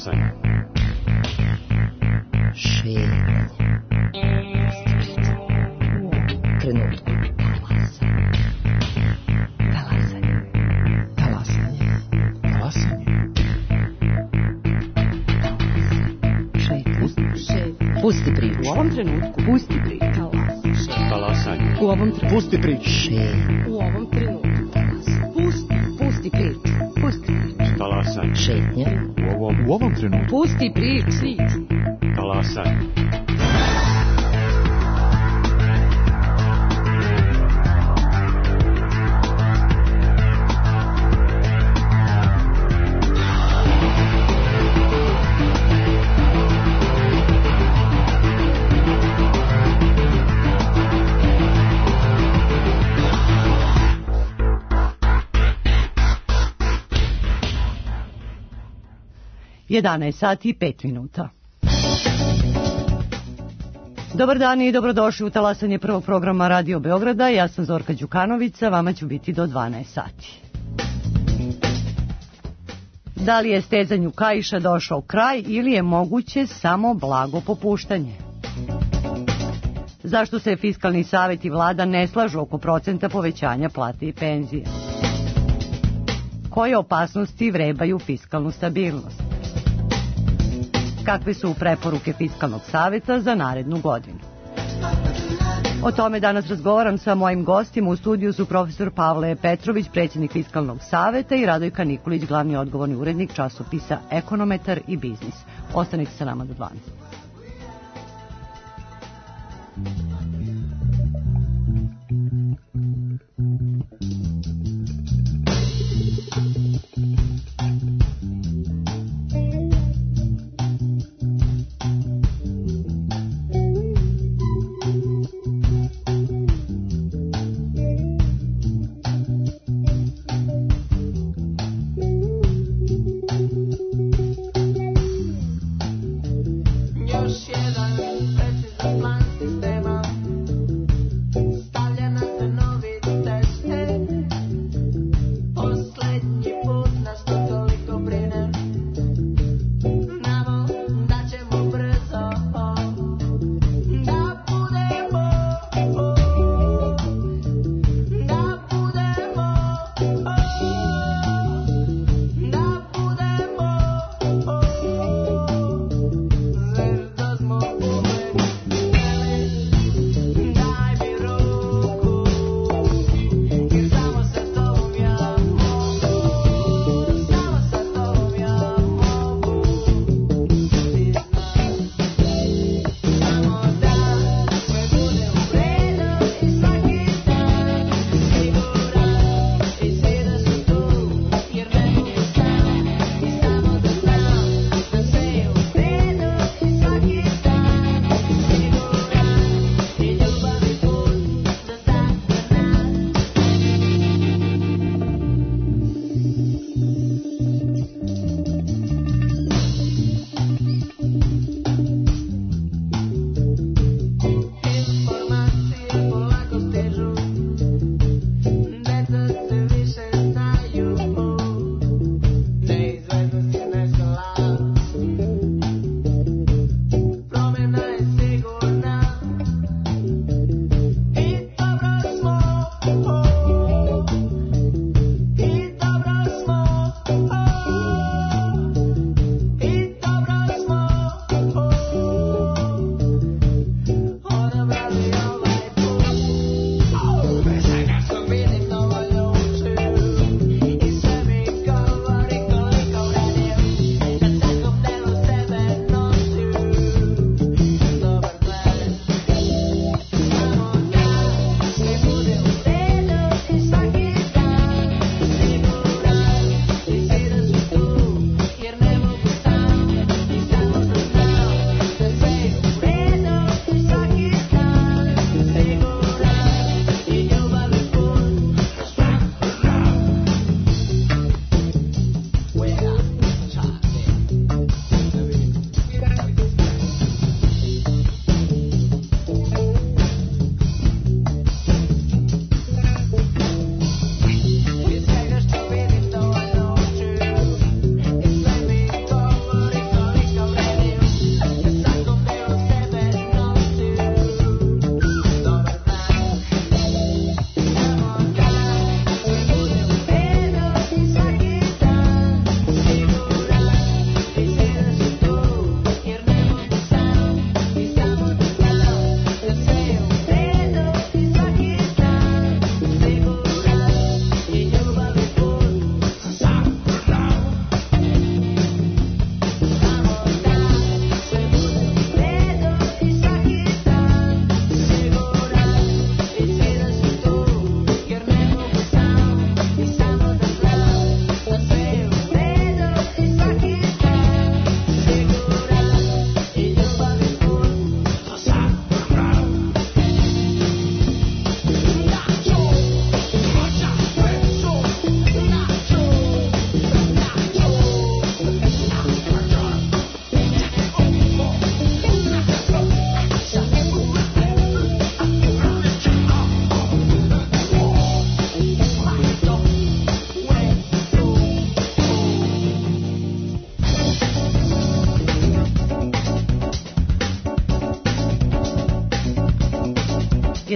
Talasanje. Šetanje. Trenutku. Talasanje. Talasanje. Talasanje. Šetanje. Pusti priču. U ovom trenutku. Pusti priču. Talasanje. U ovom trenutku. Pusti priču. Šetanje. U ovom trenutku. Pusti priču. Pusti priču. Talasanje. Šetnja. U ovom trenutku. Pusti priču. Talasanje. Sati i 5 minuta. Dobar dan i dobrodošli u talasanje prvog programa Radio Beograda. Ja sam Zorka Đukanovića, vama ću biti do 12 sati. Da li je stezanju kaiša došao kraj ili je moguće samo blago popuštanje? Zašto se Fiskalni savet i vlada ne slažu oko procenta povećanja plate i penzije? Koje opasnosti vrebaju fiskalnu stabilnost? Kakve su preporuke Fiskalnog saveta za narednu godinu? O tome danas razgovaram sa mojim gostima. U studiju su profesor Pavle Petrović, predsjednik Fiskalnog saveta, i Radojka Nikolić, glavni odgovorni urednik časopisa Ekonometar i Biznis. Ostanite sa nama do 12. Još jedan precizan plan sistema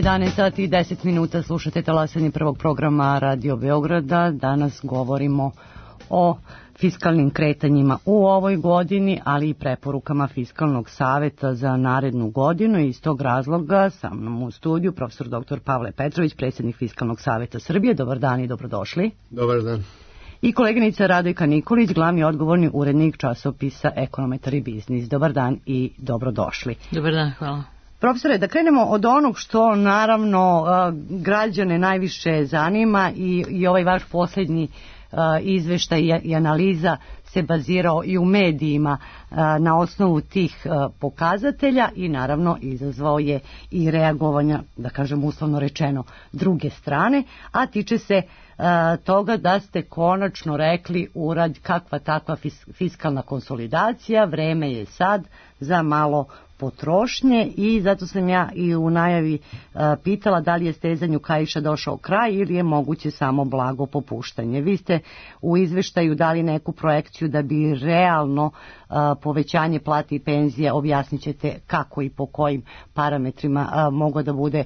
11 sati i 10 minuta slušate talasanje prvog programa Radio Beograda. Danas govorimo o fiskalnim kretanjima u ovoj godini, ali i preporukama Fiskalnog saveta za narednu godinu. I iz tog razloga sa mnom u studiju profesor dr. Pavle Petrović, predsjednik Fiskalnog saveta Srbije. Dobar dan i dobrodošli. Dobar dan. I koleginica Radojka Nikolić, glavni odgovorni urednik časopisa Ekonometar i biznis. Dobar dan i dobrodošli. Dobar dan, hvala. Profesore, da krenemo od onog što naravno građane najviše zanima i ovaj vaš posljednji izveštaj i analiza se bazirao i u medijima na osnovu tih pokazatelja i naravno izazvao je i reagovanja, da kažem uslovno rečeno, druge strane, a tiče se toga da ste konačno rekli urad kakva takva fiskalna konsolidacija, vreme je sad za malo potrošnje i zato sam ja i u najavi pitala da li je stezanju kaiša došao kraj ili je moguće samo blago popuštanje. Vi ste u izveštaju dali neku projekciju da bi realno povećanje plati i penzije, objasnit ćete kako i po kojim parametrima moglo da bude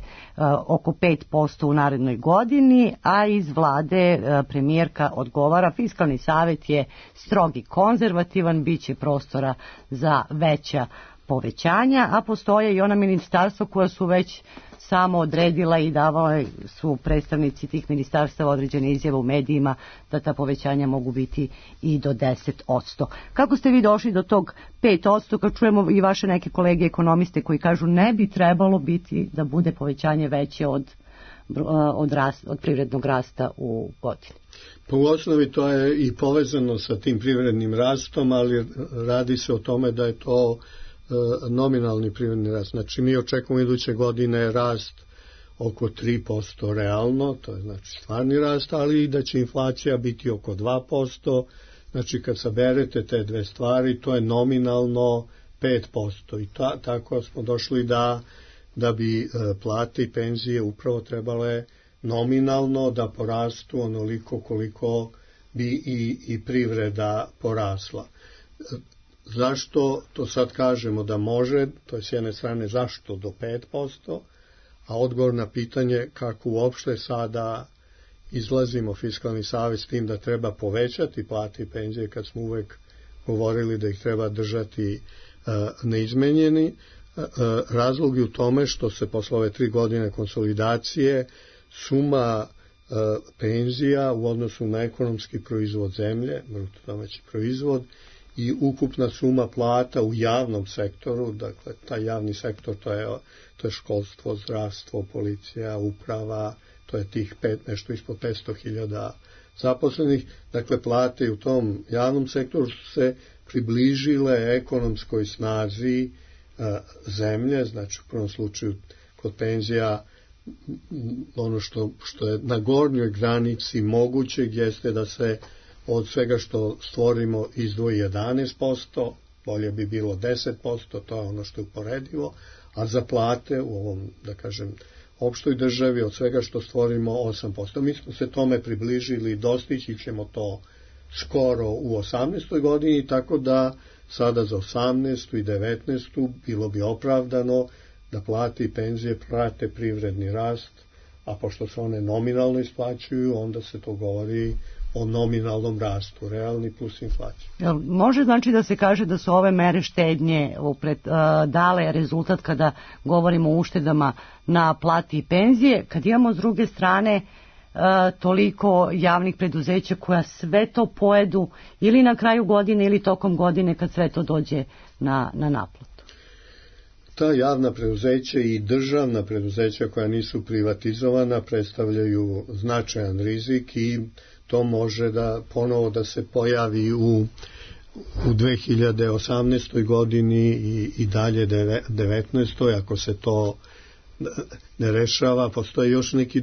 oko 5% u narednoj godini, a iz vlade premijerka odgovara Fiskalni savet je strog i konzervativan, bit će prostora za veća povećanja, a postoje i ona ministarstva koja su već samo odredila i davali su predstavnici tih ministarstava određene izjave u medijima da ta povećanja mogu biti i do 10%. Kako ste vi došli do tog 5%, kad čujemo i vaše neke kolege ekonomiste koji kažu ne bi trebalo biti da bude povećanje veće od privrednog rasta u godini? Po osnovi to je i povezano sa tim privrednim rastom, ali radi se o tome da je to nominalni privredni rast. Znači mi očekujemo iduće godine rast oko 3% realno, to je znači stvarni rast, ali i da će inflacija biti oko 2%, znači kad saberete te dve stvari, to je nominalno 5%. I tako smo došli da bi plate i penzije upravo trebale nominalno da porastu onoliko koliko bi i privreda porasla. Zašto to sad kažemo da može, to je s jedne strane zašto do 5%, a odgovor na pitanje kako uopšte sada izlazimo Fiskalni savet s tim da treba povećati plate i penzije kad smo uvek govorili da ih treba držati neizmenjeni. Razlog je u tome što se posle ove 3 godine konsolidacije suma penzija u odnosu na ekonomski proizvod zemlje, bruto domaći proizvod, i ukupna suma plata u javnom sektoru, dakle taj javni sektor to je školstvo, zdravstvo, policija, uprava, to je tih nešto ispod 500.000 zaposlenih, dakle plate u tom javnom sektoru su se približile ekonomskoj snazi zemlje, znači u prvom slučaju kod penzija ono što je na gornjoj granici mogućeg jeste da se od svega što stvorimo izdvoji 11%, bolje bi bilo 10%, to je ono što je uporedivo, a za plate u ovom, da kažem, opštoj državi od svega što stvorimo 8%. Mi smo se tome približili i dostići ćemo to skoro u 18. godini, tako da sada za 18. i 19. bilo bi opravdano da plate i penzije prate privredni rast, a pošto se one nominalno isplaćuju, onda se to govori o nominalnom rastu, realni plus inflacija. Može znači da se kaže da su ove mere štednje dale rezultat kada govorimo o uštedama na plati i penzije, kad imamo s druge strane toliko javnih preduzeća koja sve to pojedu ili na kraju godine ili tokom godine kad sve to dođe na naplatu? Ta javna preduzeća i državna preduzeća koja nisu privatizovana predstavljaju značajan rizik i to može da ponovo da se pojavi u 2018. godini i dalje 19. ako se to ne rešava. Postoje još neki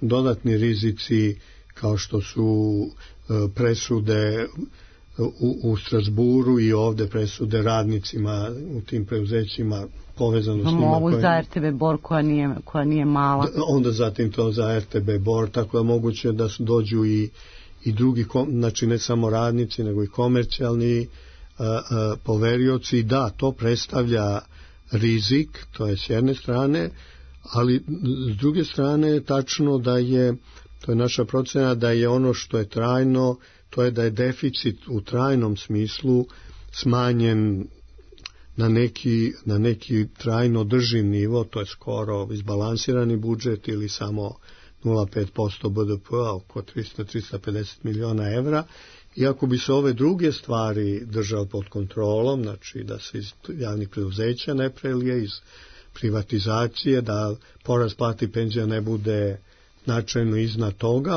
dodatni rizici kao što su presude u Strasburu i ovde presude radnicima u tim preuzećima povezano s njima. Ovu za RTB Bor koja nije mala. Onda zatim to za RTB Bor, tako da moguće da dođu i drugi, znači ne samo radnici nego i komercijalni poverioci. Da, to predstavlja rizik, to je s jedne strane, Ali s druge strane je tačno da je, to je naša procena, da je ono što je trajno, to je da je deficit u trajnom smislu smanjen na neki trajno drživ nivo, to je skoro izbalansirani budžet ili samo 0,5% BDP-a, oko 300-350 miliona evra. Iako bi se ove druge stvari držale pod kontrolom, znači da se iz javnih preduzeća ne prelije, iz privatizacije, da porast plata i penzija ne bude značajno iznad toga,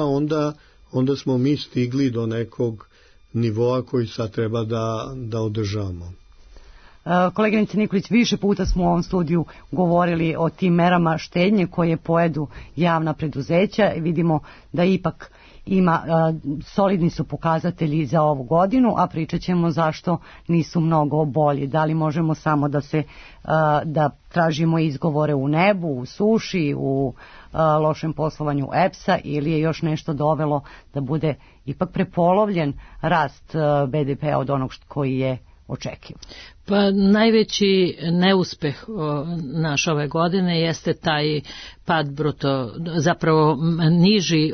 onda smo mi stigli do nekog nivoa koji sad treba da održamo. Koleginice Nikolić, više puta smo u ovom studiju govorili o tim merama štednje koje pojedu javna preduzeća i vidimo da ipak ima, solidni su pokazatelji za ovu godinu, a pričat ćemo zašto nisu mnogo bolji. Da li možemo samo da tražimo izgovore u nebu, u suši, u lošem poslovanju EPS-a, ili je još nešto dovelo da bude ipak prepolovljen rast BDP-a od onog koji je očekivan? Pa najveći neuspeh naš ove godine jeste taj pad bruto, zapravo niži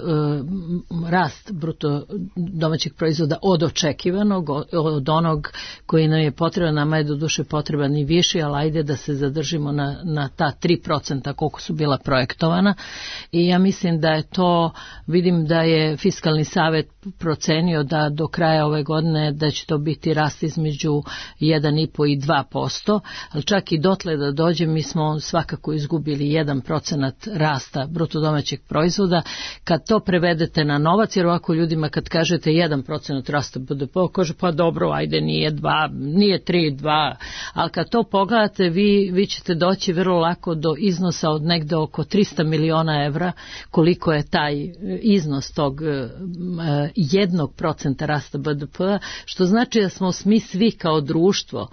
rast bruto domaćeg proizvoda od očekivanog, od onog koji nam je potreban. Nama je doduše potreban i viši, ali ajde da se zadržimo na ta 3% koliko su bila projektovana. I ja mislim da je to, vidim da je Fiskalni savet procenio da do kraja ove godine da će to biti rast između 1,5 i 2%, ali čak i dotle da dođe mi smo svakako izgubili 1% rasta bruto domaćeg proizvoda. Kad to prevedete na novac, jer ovako ljudima kad kažete 1% rasta BDP, kaže pa dobro, ajde nije 2, nije 3, 2, ali kad to pogledate vi ćete doći vrlo lako do iznosa od negde oko 300 miliona evra, koliko je taj iznos tog 1% rasta BDP-a, što znači da smo mi svi kao društvo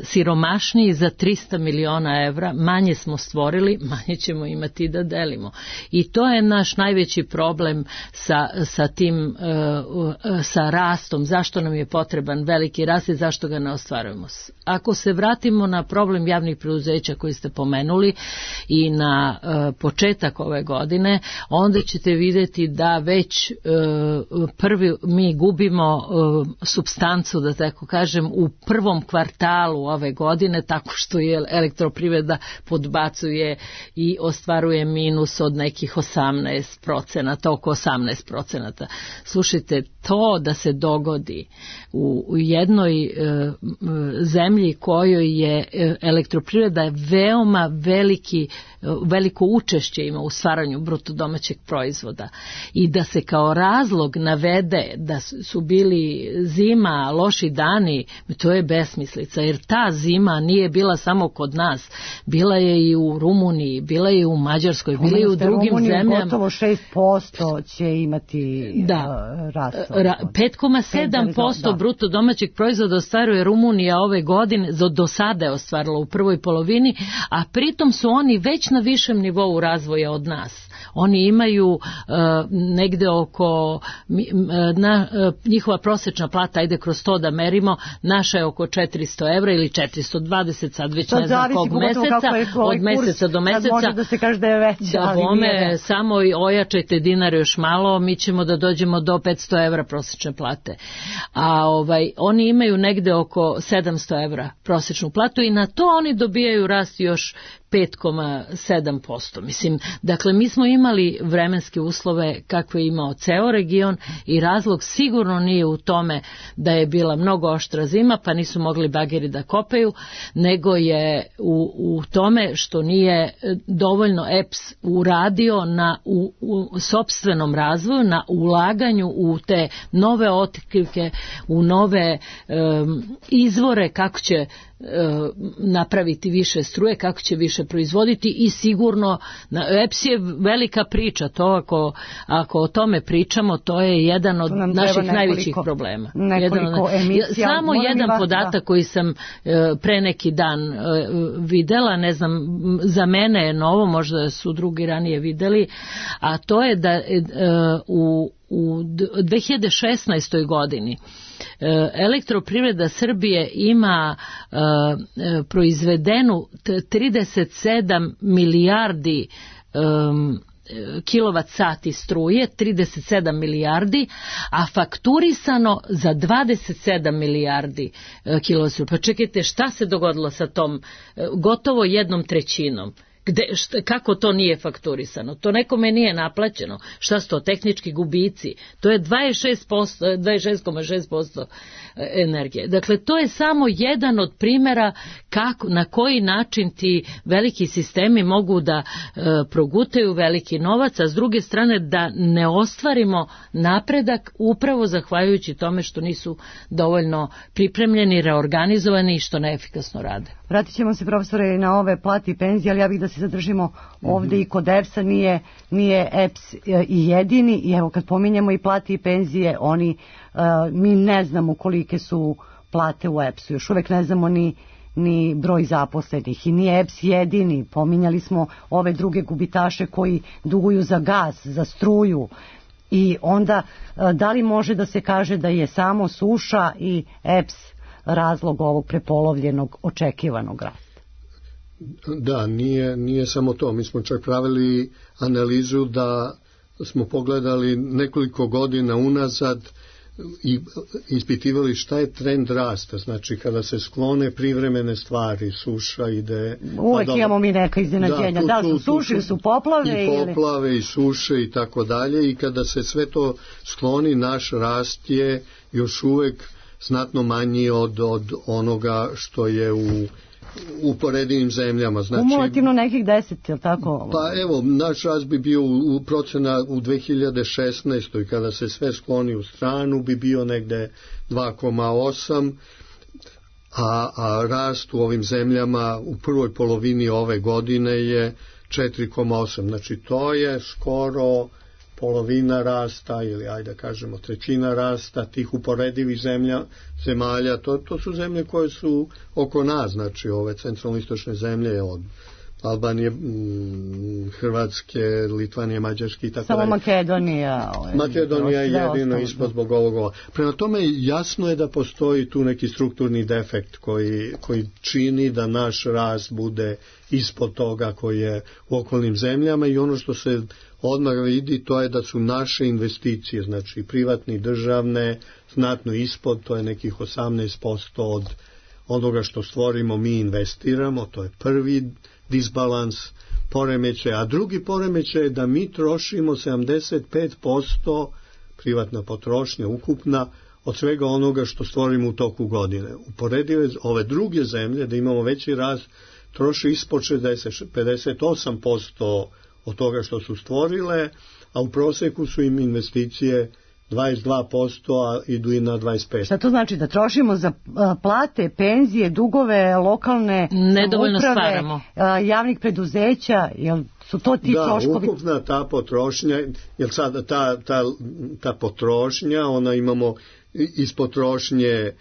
siromašniji za 300 miliona evra, manje smo stvorili, manje ćemo imati da delimo. I to je naš najveći problem sa tim, sa rastom, zašto nam je potreban veliki rast i zašto ga ne ostvarujemo. Ako se vratimo na problem javnih preduzeća koji ste pomenuli i na početak ove godine, onda ćete vidjeti da već mi gubimo supstancu, da tako kažem, u prvom kvartalu ove godine, tako što je elektroprivreda podbacuje i ostvaruje minus od nekih 18%, oko 18%. Slušajte, to da se dogodi u jednoj zemlji kojoj je elektroprivreda veoma veliko učešće ima u stvaranju bruto domaćeg proizvoda i da se kao razlog navede da su bili zima, loši dani, to je besmislica, jer ta zima nije bila samo kod nas, bila je i u Rumuniji, bila je i u Mađarskoj, bila je i u drugim zemljama. Gotovo 6% će imati rast. 5,7% bruto domaćeg proizvoda ostvaruje Rumunija ove godine, do sada je ostvarila u prvoj polovini, a pritom su oni već na višem nivou razvoja od nas. Oni imaju negde oko, njihova prosječna plata, ajde kroz to da merimo, naša je oko 400 evra ili 420, sad već ne znam kog meseca, od meseca do meseca. Može da se kaže da je već. Da bome, samo ojačajte dinar još malo, mi ćemo da dođemo do 500 evra prosječne plate. A oni imaju negde oko 700 evra prosječnu platu i na to oni dobijaju rast još 5,7%. Mislim, dakle, mi smo imali vremenske uslove kakve je imao ceo region i razlog sigurno nije u tome da je bila mnogo oštra zima pa nisu mogli bageri da kopaju, nego je u tome što nije dovoljno EPS uradio u sopstvenom razvoju, na ulaganju u te nove otkrivke, u nove izvore kako će napraviti više struje, kako će više proizvoditi i sigurno EPS je velika priča, to ako o tome pričamo, to je jedan od naših najvećih problema. Samo jedan podatak koji sam pre neki dan videla, ne znam, za mene je novo, možda su drugi ranije videli, a to je da u 2016. godini Elektroprivreda Srbije ima proizvedenu 37 milijardi kilovat sati struje, 37 milijardi, a fakturisano za 27 milijardi kilovat struje. Pa čekajte, šta se dogodilo sa tom gotovo 1/3? Kako to nije fakturisano? To nekome nije naplaćeno. Šta su to tehnički gubici? To je 26,6% energije. Dakle, to je samo jedan od primjera na koji način ti veliki sistemi mogu da progutaju veliki novac, a s druge strane da ne ostvarimo napredak upravo zahvaljujući tome što nisu dovoljno pripremljeni, reorganizovani i što neefikasno rade. Vratit ćemo se, profesore, na ove plate i penzije, ali ja bih da se zadržimo ovde i kod EPS-a, nije EPS i jedini, i evo kad pominjemo i plate i penzije, mi ne znamo kolike su plate u EPS-u, još uvek ne znamo ni broj zaposlenih i nije EPS jedini, pominjali smo ove druge gubitaše koji duguju za gas, za struju, i onda da li može da se kaže da je samo suša i EPS razlog ovog prepolovljenog očekivanog rasta? Da, nije samo to. Mi smo čak pravili analizu da smo pogledali nekoliko godina unazad i ispitivali šta je trend rasta. Znači, kada se sklone privremene stvari, suša ide... Uvek imamo mi neka iznenađenja. Da, su suše, su poplave. I poplave, i suše, i tako dalje. I kada se sve to skloni, naš rast je još uvek znatno manji od onoga što je u uporedivim zemljama. Znači, kumulativno nekih 10, je li tako? Pa evo, naš rast bi bio u procena u 2016. kada se sve skloni u stranu bi bio negde 2,8, a rast u ovim zemljama u prvoj polovini ove godine je 4,8. Znači to je skoro polovina rasta ili ajde kažemo trećina rasta tih uporedivih zemalja. To su zemlje koje su oko nas, znači ove centralno-istočne zemlje od Albanije, Hrvatske, Litvanije, Mađarske i tako dalje. Samo Makedonija je jedino ispod zbog ovoga. Prema tome jasno je da postoji tu neki strukturni defekt koji čini da naš rast bude ispod toga koji je u okolnim zemljama, i ono što se odmah vidi to je da su naše investicije, znači privatne i državne, znatno ispod, to je nekih 18% od onoga što stvorimo mi investiramo, to je prvi disbalans, poremećaj, a drugi poremećaj je da mi trošimo 75% privatna potrošnja ukupna od svega onoga što stvorimo u toku godine. Uporedive ove druge zemlje da imamo veći rast troši ispod 58% od toga što su stvorile, a u proseku su im investicije 22%, a idu i na 25%. Šta to znači? Da trošimo za plate, penzije, dugove, lokalne nedovoljno stvaramo, javnih preduzeća, jel su to ti troškovi? Da, ukupna ta potrošnja, jer sada ta potrošnja, ona imamo iz potrošnje,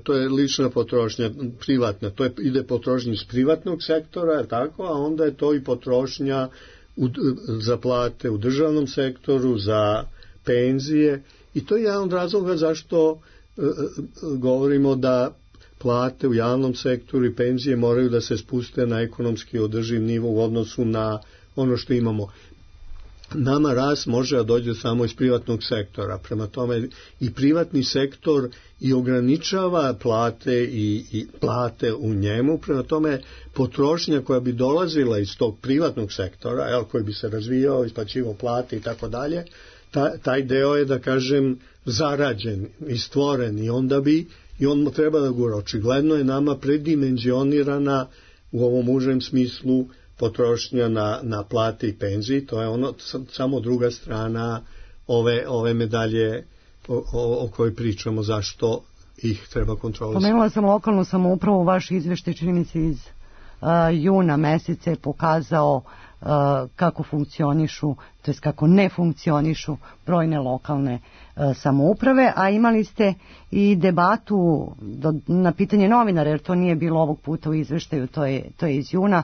to je lična potrošnja, privatna, to ide potrošnja iz privatnog sektora, tako, a onda je to i potrošnja za plate u državnom sektoru, za penzije, i to je jedan od razloga zašto govorimo da plate u javnom sektoru i penzije moraju da se spuste na ekonomski održiv nivo u odnosu na ono što imamo. Nama rast može da dođe samo iz privatnog sektora, prema tome i privatni sektor i ograničava plate i plate u njemu, prema tome potrošnja koja bi dolazila iz tog privatnog sektora, koji bi se razvijao, isplaćivao plate i tako dalje, taj deo je, da kažem, zarađen i stvoren, i on treba da gura. Očigledno je nama predimenzionirana u ovom užem smislu potrošnja na plate i penzije. To je samo druga strana ove medalje o kojoj pričamo, zašto ih treba kontrolisati. Pomenula sam lokalnu samoupravu, vaš izveštaj čini mi se iz juna meseca je pokazao kako funkcionišu, to jest kako ne funkcionišu brojne lokalne samouprave, a imali ste i debatu na pitanje novinara, jer to nije bilo ovog puta u izveštaju, to je iz juna,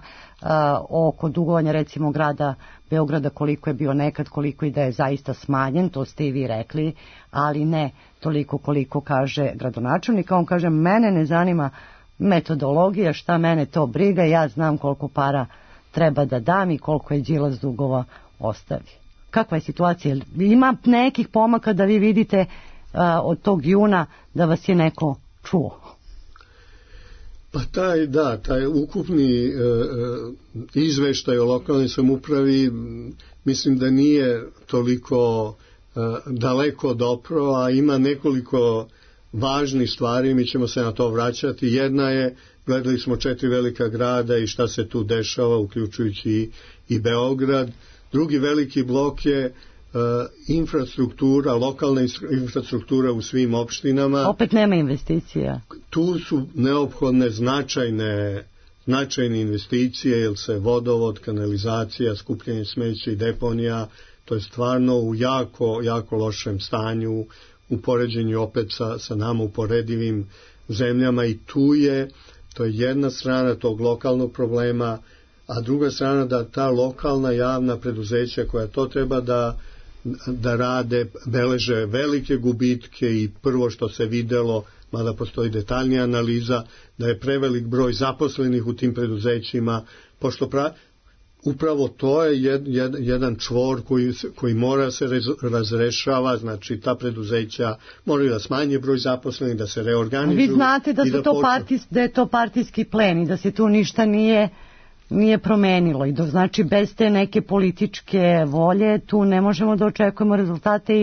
oko dugovanja recimo grada Beograda, koliko je bio nekad, koliko i da je zaista smanjen, to ste i vi rekli, ali ne toliko koliko kaže gradonačelnik. On kaže, mene ne zanima metodologija, šta mene to briga, ja znam koliko para treba da dam i koliko je Đilas dugova ostavi. Kakva je situacija? Ima nekih pomaka da vi vidite od tog juna da vas je neko čuo? Pa taj ukupni izveštaj o lokalnoj samoupravi mislim da nije toliko daleko dopro, a ima nekoliko važnih stvari, mi ćemo se na to vraćati. Jedna je, gledali smo 4 velika grada i šta se tu dešava, uključujući i Beograd. Drugi veliki blok je infrastruktura, lokalna infrastruktura u svim opštinama. Opet nema investicija. Tu su neophodne značajne investicije, jer se vodovod, kanalizacija, skupljanje smeća i deponija, to je stvarno u jako lošem stanju u poređenju opet sa nama uporedivim zemljama, i to je jedna strana tog lokalnog problema, a druga strana da ta lokalna javna preduzeća koja to treba da rade, beleže velike gubitke, i prvo što se videlo, mada postoji detaljnija analiza, da je prevelik broj zaposlenih u tim preduzećima, pošto upravo to je jedan čvor koji mora se razrešava, znači ta preduzeća moraju da smanje broj zaposlenih, da se reorganizuju. Vi znate da je to partijski plen i da se tu ništa nije promenilo, i znači bez te neke političke volje tu ne možemo da očekujemo rezultate,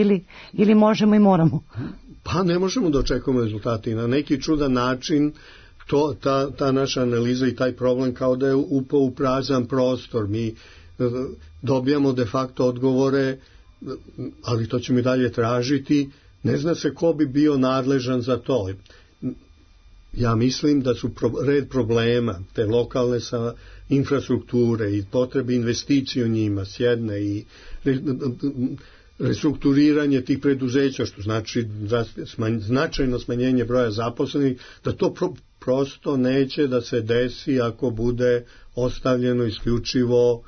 ili možemo i moramo? Pa ne možemo da očekujemo rezultate, i na neki čudan način ta naša analiza i taj problem kao da je upao u prazan prostor. Mi dobijamo de facto odgovore, ali to ćemo i dalje tražiti. Ne zna se ko bi bio nadležan za to. Ja mislim da su red problema te lokalne infrastrukture i potrebe investicije u njima s jedne, i restrukturiranje tih preduzeća, što znači značajno smanjenje broja zaposlenih, da to prosto neće da se desi ako bude ostavljeno isključivo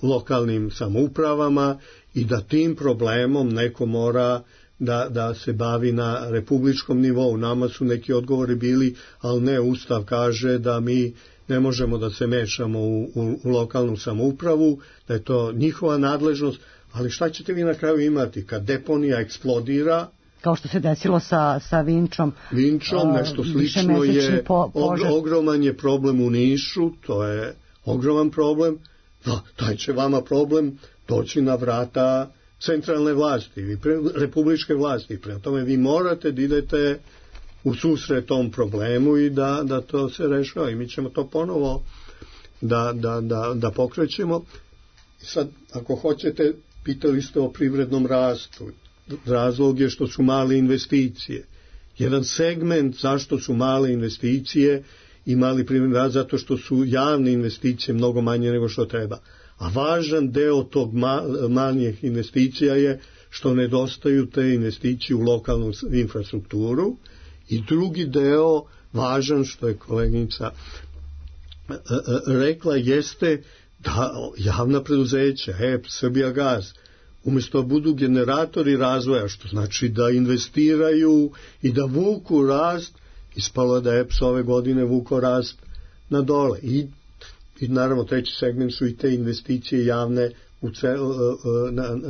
lokalnim samoupravama, i da tim problemom neko mora da se bavi na republičkom nivou. Nama su neki odgovori bili, ali ne, Ustav kaže da mi ne možemo da se mešamo u lokalnu samoupravu, da je to njihova nadležnost, ali šta ćete vi na kraju imati kad deponija eksplodira? Kao što se desilo sa Vinčom. Nešto slično je, ogroman je problem u Nišu, to je ogroman problem, taj će vama problem doći na vrata centralne vlasti, republičke vlasti. Prema tome vi morate da idete u susret tom problemu i da to se rešava, i mi ćemo to ponovo da pokrećemo. I sad, ako hoćete, pitali ste o privrednom rastu. Razlog je što su male investicije. Jedan segment zašto su male investicije i mali privredni rast, zato što su javne investicije mnogo manje nego što treba. A važan deo tog manjih investicija je što nedostaju te investicije u lokalnu infrastrukturu, i drugi deo, važan, što je koleginica rekla, jeste da javna preduzeća, HEP, Srbijagas, umjesto budu generatori razvoja, što znači da investiraju i da vuku rast, ispalo je da EPS ove godine vuko rast na dole. I naravno treći segment su i te investicije javne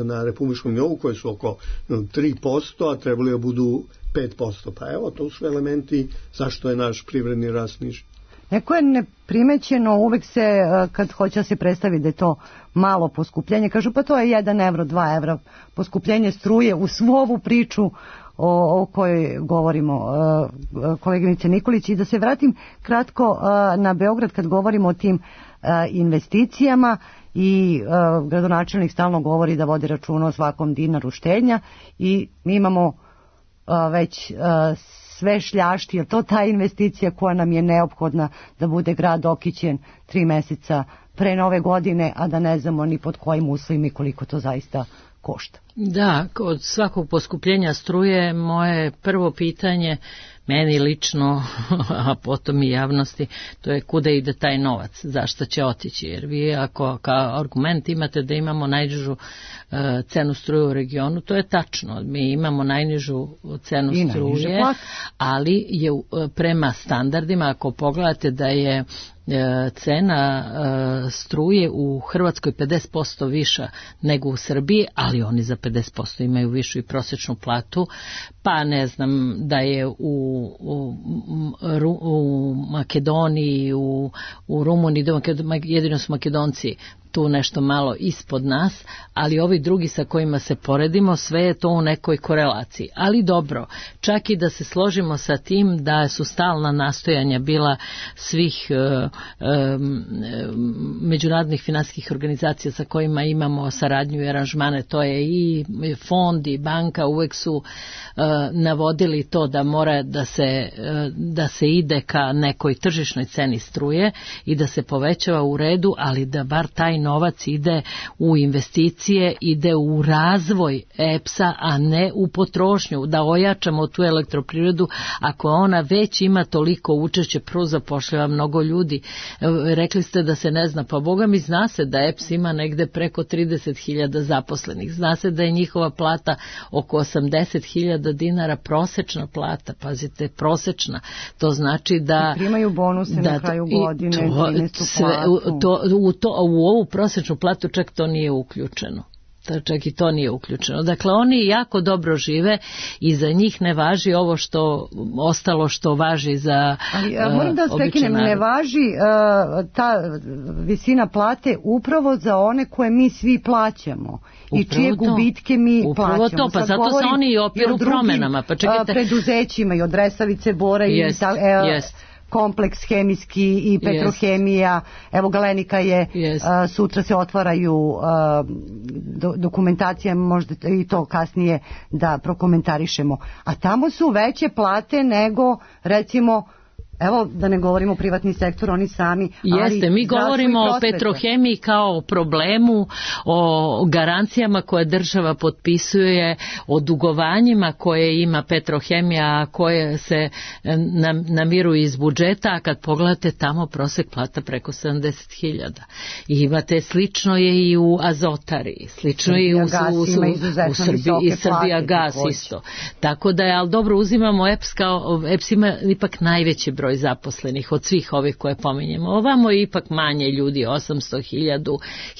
na republičkom nivou, koje su oko 3%, a trebali da budu 5%. Pa evo, to su elementi zašto je naš privredni rast niži. Neko je neprimećeno, uvek se, kad hoće da se predstavi da je to malo poskupljenje, kažu pa to je 1 evro, 2 evra poskupljenje struje, u svu ovu priču o kojoj govorimo, koleginice Nikolić. I da se vratim kratko na Beograd, kad govorimo o tim investicijama, i gradonačelnik stalno govori da vodi računa o svakom dinaru štednja, i mi imamo već sve šljašti, je to ta investicija koja nam je neophodna da bude grad okićen 3 meseca pre nove godine, a da ne znamo ni pod kojim uslovima i koliko to zaista košta. Da, od svakog poskupljenja struje moje prvo pitanje, meni lično, a potom i javnosti, to je kuda ide taj novac, zašto će otići, jer vi ako kao argument imate da imamo najnižu cenu struje u regionu, to je tačno, mi imamo najnižu cenu struje, ali je prema standardima, ako pogledate da je cena struje u Hrvatskoj 50% viša nego u Srbiji, ali oni za 50% imaju višu i prosječnu platu, pa ne znam da je u Makedoniji, u Rumuniji, jedino su Makedonci tu nešto malo ispod nas, ali ovi drugi sa kojima se poredimo, sve je to u nekoj korelaciji. Ali dobro, čak i da se složimo sa tim da su stalna nastojanja bila svih međunarodnih finansijskih organizacija sa kojima imamo saradnju i aranžmane, to je i fond i banka, uvek su navodili to da mora da se ide ka nekoj tržišnoj ceni struje i da se povećava u redu, ali da bar taj novac ide u investicije, ide u razvoj EPS-a, a ne u potrošnju, da ojačamo tu elektroprivredu ako ona već ima toliko učešće, prvo zapošljava mnogo ljudi. Rekli ste da se ne zna, pa Boga mi zna se da EPS ima negde preko 30.000 zaposlenih, zna se da je njihova plata oko 80.000 dinara, prosečna plata, pazite, prosečna, to znači da... I primaju bonuse na kraju godine, 13. platu. U ovu prosječnu platu čak to nije uključeno. Čak i to nije uključeno. Dakle, oni jako dobro žive i za njih ne važi ovo što ostalo što važi za moram da vas prekinem, ne važi ta visina plate upravo za one koje mi svi plaćamo i čije gubitke mi plaćamo. Upravo to, pa zato se oni i opiru promenama. Pa čekajte, preduzećima i od Resavice, Bora i kompleks hemijski i petrohemija, evo Galenika je, sutra se otvaraju dokumentacije, možda i to kasnije da prokomentarišemo, a tamo su veće plate nego recimo, evo da ne govorimo privatni sektor, oni sami. Jeste, mi govorimo o petrohemiji kao o problemu, o garancijama koje država potpisuje, o dugovanjima koje ima petrohemija, koje se namiruju iz budžeta, a kad pogledate tamo prosek plata preko 70.000. I imate, slično je i u Azotari, slično je i u Srbiji, i Srbija gas isto. Tako da je, ali dobro, uzimamo EPS kao, EPS ima ipak najveći broj zaposlenih od svih ovih koje pominjemo. Ovamo je ipak manje ljudi, 800,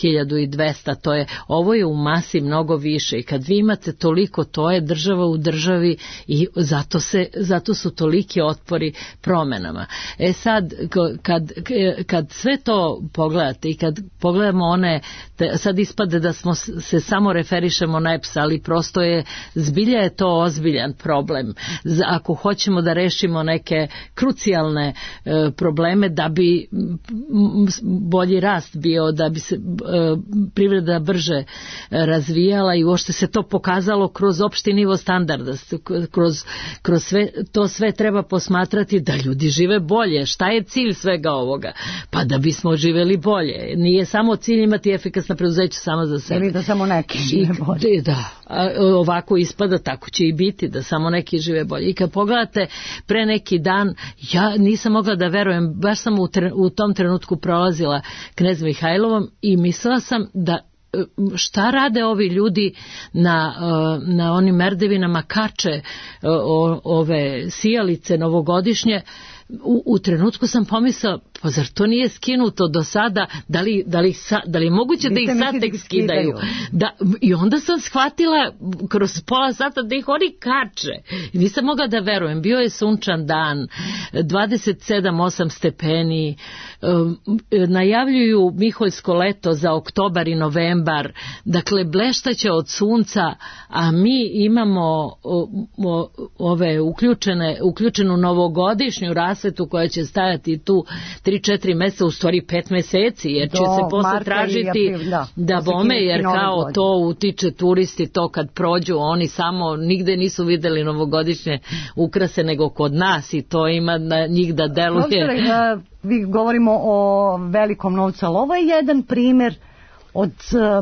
1200, to je, ovo je u masi mnogo više i kad vi imate toliko, to je država u državi i zato su toliki otpori promenama. Sad, kad sve to pogledate i kad pogledamo sad ispade da smo se samo referišemo na EPS, ali prosto je, zbilja je to ozbiljan problem. Ako hoćemo da rešimo neke krucijalne probleme, da bi bolji rast bio, da bi se privreda brže razvijala i uopšte se to pokazalo kroz opšti nivo standarda, kroz sve treba posmatrati da ljudi žive bolje. Šta je cilj svega ovoga? Pa da bismo živeli bolje. Nije samo cilj imati efikasna preduzeća samo za sebe. Ili da samo neki žive bolje. Da, ovako ispada, tako će i biti, da samo neki žive bolje. I kad pogledate pre neki dan, ja nisam mogla da verujem, baš sam u tom trenutku prolazila Knez Mihajlovom i mislila sam da šta rade ovi ljudi na onim merdevinama, kače ove sijalice novogodišnje. U trenutku sam pomislila, pa zar to nije skinuto do sada, da li je moguće da ih sad tek skidaju? I onda sam shvatila kroz pola sata da ih oni kače. Nisam mogla da verujem, bio je sunčan dan, 27-8 stepeni, najavljuju miholjsko leto za oktobar i novembar, dakle bleštaće od sunca, a mi imamo ove uključenu novogodišnju rasvetu koja će stajati tu 3-4 meseca, u stvari 5 meseci, jer će se posle tražiti da bome, jer kao to utiče turisti, to kad prođu, oni samo nigde nisu videli novogodišnje ukrase nego kod nas i to ima na njih da deluje. Vi govorimo o velikom novcu, ali ovo je jedan primjer od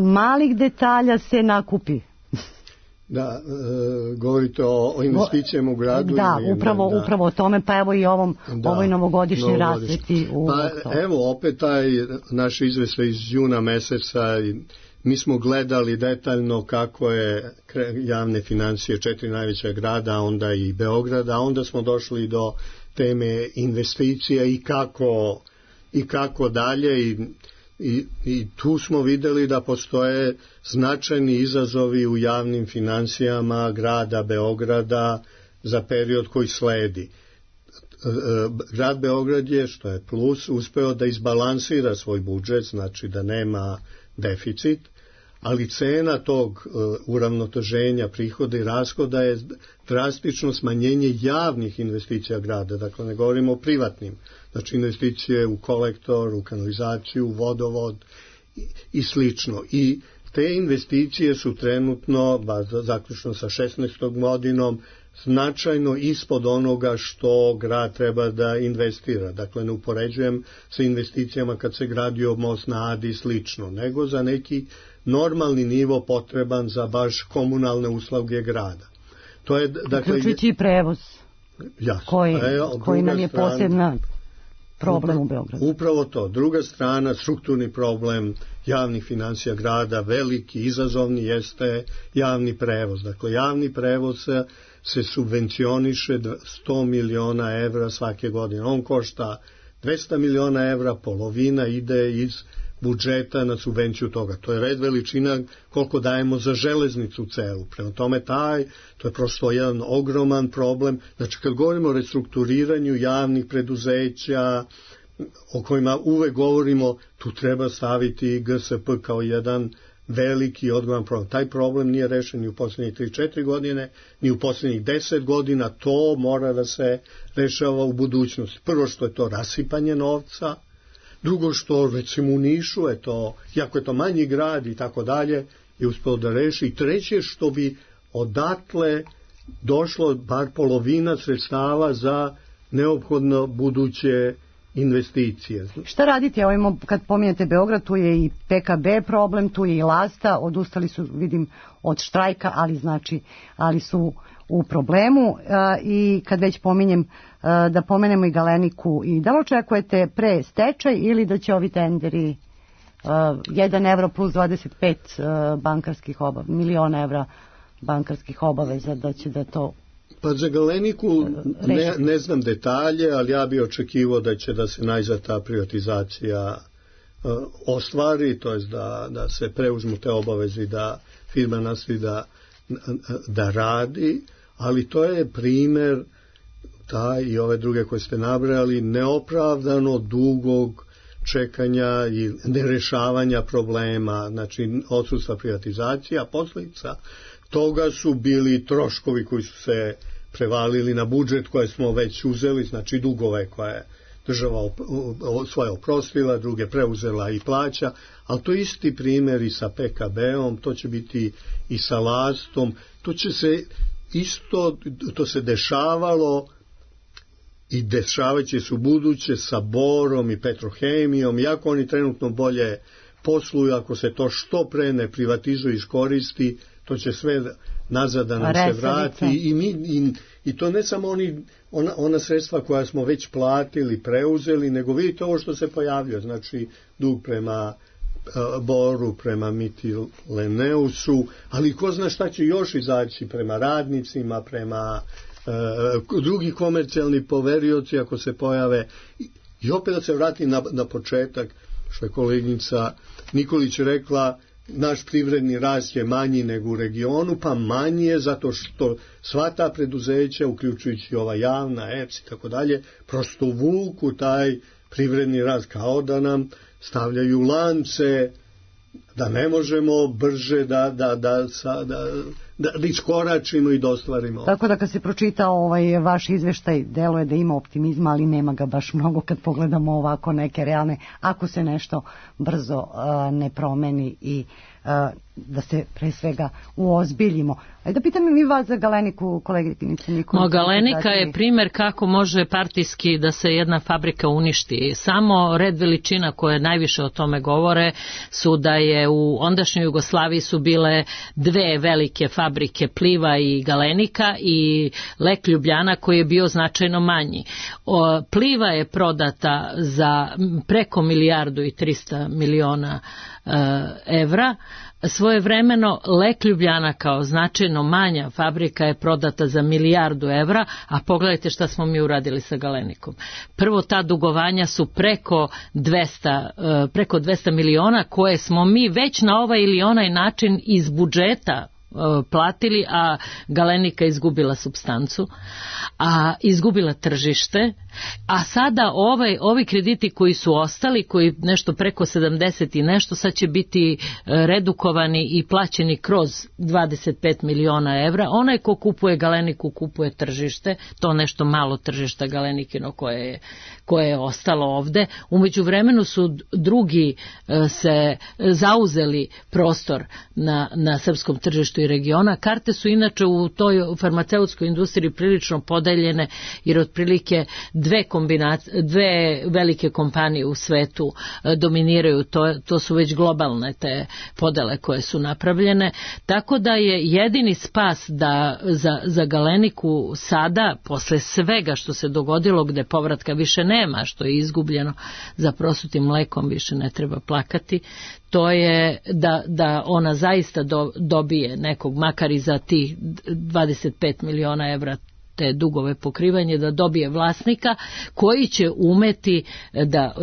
malih detalja se nakupi. Da, govorite o investicijama u gradu. Da, upravo o tome, pa evo i ovoj novogodišnji rasveti. Evo opet taj naš izveštaj iz juna meseca, mi smo gledali detaljno kako je javne financije 4 najveća grada, onda i Beograda, a onda smo došli do teme investicija i kako dalje i tu smo videli da postoje značajni izazovi u javnim financijama grada Beograda za period koji sledi. Grad Beograd je, što je plus, uspeo da izbalansira svoj budžet, znači da nema deficit, ali cena tog uravnoteženja prihoda i rashoda je drastično smanjenje javnih investicija grada, dakle ne govorimo o privatnim, znači investicije u kolektor, u kanalizaciju, u vodovod i slično. I te investicije su trenutno, zaključno sa 16. godinom, značajno ispod onoga što grad treba da investira. Dakle, ne upoređujem sa investicijama kad se gradio most na Adi i slično, nego za neki normalni nivo potreban za baš komunalne usluge grada. To je, dakle, uključujući i prevoz, koji nam je posebna problem u Beogradu. Upravo to. Druga strana, strukturni problem javnih financija grada, veliki, izazovni, jeste javni prevoz. Dakle, javni prevoz se subvencioniše 100 miliona evra svake godine. On košta 200 miliona evra, polovina ide iz budžeta na subvenciju toga. To je red veličina koliko dajemo za železnicu celu. Prema tome to je prosto jedan ogroman problem. Znači kad govorimo o restrukturiranju javnih preduzeća, o kojima uvek govorimo, tu treba staviti GSP kao jedan veliki odgovoran problem. Taj problem nije rešen ni u poslednjih 3-4 godine, ni u poslednjih 10 godina. To mora da se rešava u budućnosti. Prvo što je to rasipanje novca, drugo što recimo u Nišu je to, jako je to manji grad i tako dalje, je uspeo da reši. I treće što bi odatle došlo bar polovina sredstava za neophodno buduće investicije. Šta radite? Evo imamo, kad pominjete Beograd, tu je i PKB problem, tu je i Lasta, odustali su, vidim, od štrajka, ali su u problemu. I kad već pominjem, da pomenemo i Galeniku, i da li očekujete pre stečaj ili da će ovi tenderi 1 evro plus 25 miliona evra bankarskih obaveza, da će da to... Pa za Galeniku ne znam detalje, ali ja bih očekivao da će da se najzad ta privatizacija ostvari, to je da se preuzmu te obaveze i da firma nastavi da radi, ali to je primer taj i ove druge koje ste nabrali, neopravdano dugog čekanja i nerešavanja problema, znači odsustva privatizacija, posljedica toga su bili troškovi koji su se prevalili na budžet koje smo već uzeli, znači dugove koje je država svoje oprostila, druge preuzela i plaća, ali to je isti primjer i sa PKB-om, to će biti i sa Lastom, to se dešavalo i dešavaće se u buduće sa Borom i Petrohemijom, iako oni trenutno bolje posluju, ako se to što pre ne privatizuje i iskoristi, to će sve nazad da nam se vrati i to ne samo ona sredstva koja smo već platili, preuzeli, nego vidite ovo što se pojavljuje, znači dug prema Boru, prema Mytilineousu, ali ko zna šta će još izaći prema radnicima, prema drugi komercijalni poverioci ako se pojave. I opet da se vrati na početak, što je koleginica Nikolić rekla, naš privredni rast je manji nego u regionu, pa manji je zato što sva ta preduzeća, uključujući ova javna, EPS i tako dalje, prosto vuku taj privredni rast, kao da nam stavljaju lance da ne možemo brže da iskoračimo i da ostvarimo. Tako da kad se pročita vaš izveštaj, deluje da ima optimizma, ali nema ga baš mnogo kad pogledamo ovako neke realne, ako se nešto brzo ne promeni i da se pre svega uozbiljimo. Da pitam i vas za Galeniku, koleginice Nikolić. Galenika je primer kako može partijski da se jedna fabrika uništi. Samo red veličina koje najviše o tome govore su da je u ondašnjoj Jugoslaviji su bile dve velike fabrike, Pliva i Galenika, i Lek Ljubljana koji je bio značajno manji. Pliva je prodata za preko 1.300.000.000 evra. Svojevremeno Lek Ljubljana kao značajno manja fabrika je prodata za 1.000.000.000 evra, a pogledajte šta smo mi uradili sa Galenikom. Prvo, ta dugovanja su preko 200 miliona koje smo mi već na ovaj ili onaj način iz budžeta platili, a Galenika izgubila supstancu, a izgubila tržište, a sada ovi krediti koji su ostali, koji nešto preko 70 i nešto, sad će biti redukovani i plaćeni kroz 25 miliona evra. Onaj ko kupuje Galeniku kupuje tržište, to nešto malo tržišta Galenikino koje je ostalo ovde. Umeđu vremenu su drugi se zauzeli prostor na srpskom tržištu i regiona. Karte su inače u toj farmaceutskoj industriji prilično podeljene, jer otprilike dve velike kompanije u svetu dominiraju, to su već globalne te podele koje su napravljene, tako da je jedini spas da za Galeniku sada, posle svega što se dogodilo, gde povratka više nema, što je izgubljeno, za prosutim mlekom više ne treba plakati, to je da ona zaista dobije nekog, makar i za tih 25 miliona evra te dugove pokrivanje, da dobije vlasnika koji će umeti